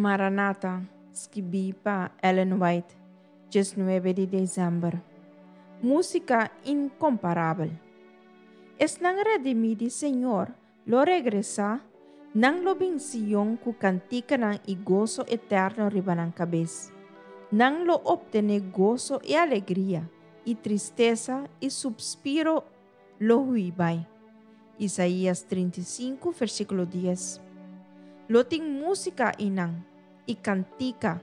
Maranata, skibí pa Ellen White, 19 di desèmber. Músika inkomparabel. Esnan redimí di Señor lo regresá, nan lo bin Sion ku kantikanan i goso eterno riba nan kabes. Nan lo optené goso i alegria, i tristesa i supspiro lo hui bai. Isaías 35, versíkulo 10. Lo tin músika einan i kantika,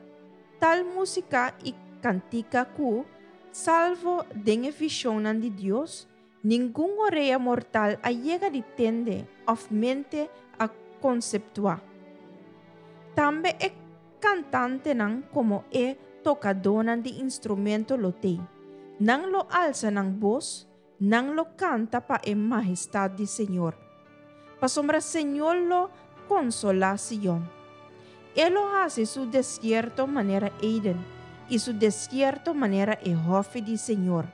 tal músika i kantika ku, salvo den e vishonnan di Dios, ningun orea mortal a yega di tende òf mente a konseptuá. Tambe e kantantenan komo e tokadónan di instrumento lo t'ei. Nan lo alsa nan bos, nan lo kanta pa e mahestat di Señor. Pasobra Señor lo konsolá Sion. E lo hasi su desierto manera Eden i su desierto manera e hòfi di Señor.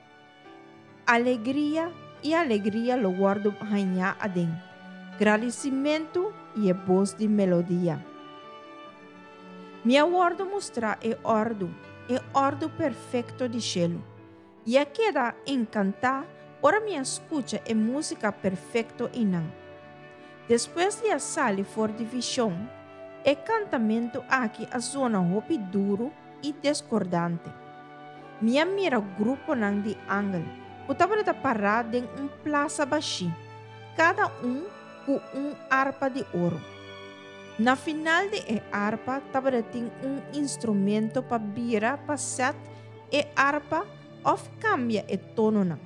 Alegria i alegria lo wòrdu hañá aden, gradisimentu i e bos di melodia. Mi a wòrdu mustrá e òrdu, e òrdu perfekto di shelu. I a keda enkantá ora mi a skucha e músika perfekto einan. Despues di a sali for di vishon, e kantamentu aki a zona hopi duru i deskordante. Mi a mira gruponan di angel ku tabata ta pará den un plasa bashí, kada un ku un arpa di oro. Na final di e arpa tabata tin un instrumento pa bira pa sèt e arpa òf kambia e tononan.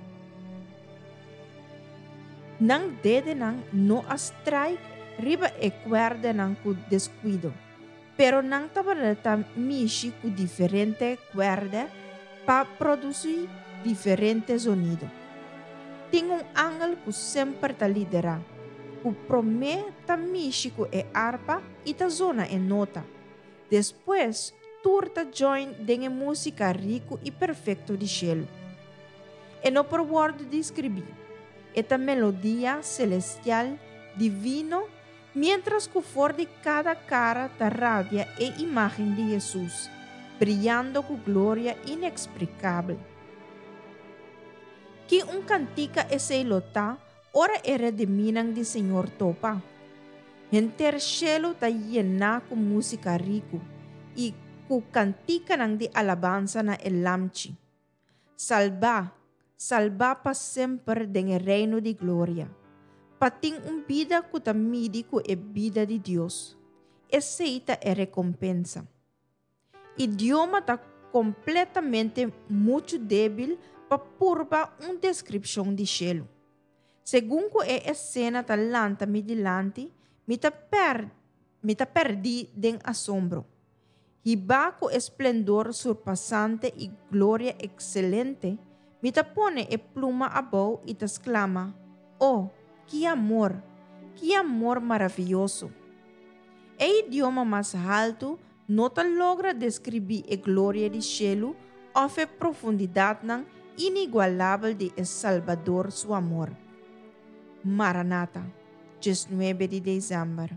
Nan dedenan no a strike riba e kuèrdenan ku deskuido, pero nan tabata ta mishi ku diferente kuèrdè pa produsí diferente zonido. Tin un angel ku semper ta liderá, ku promé ta mishi ku e arpa i ta zona e nota. Despues, tur ta join den e músika riku i perfekto di shelu. E no por wòrdu deskribí. E ta melodia selestial, divino, miéntras ku for di kada kara ta radia e imágen di Hesus, briyando ku gloria ineksplikabel. Ki un kantika esei lo ta Ora e redimínan di Señor topa, henter shelu ta yená ku músika riku i ku kantikanan di alabansa na e Lamchi. Salbá, salbá pa semper den e Reino di gloria, pa tin un bida ku ta midi ku e bida di Dios. Esei ta e rekompensa. Idioma ta kompletamente muchu débil pa purba un deskripshon di shelu. Segun ku e esena ta lanta mi dilanti, mi ta per mi ta pèrdí den asombro. Hibá ku e splendor surpasante i gloria ekselente, mi ta pone e pluma abou i ta sklama, O, ki amor! Ki amor maravioso! E idioma mas haltu no ta logra deskribí e gloria di shelu òf e profundidatnan inigualabel di e Salbador su amor. Maranata, 19 di desèmber.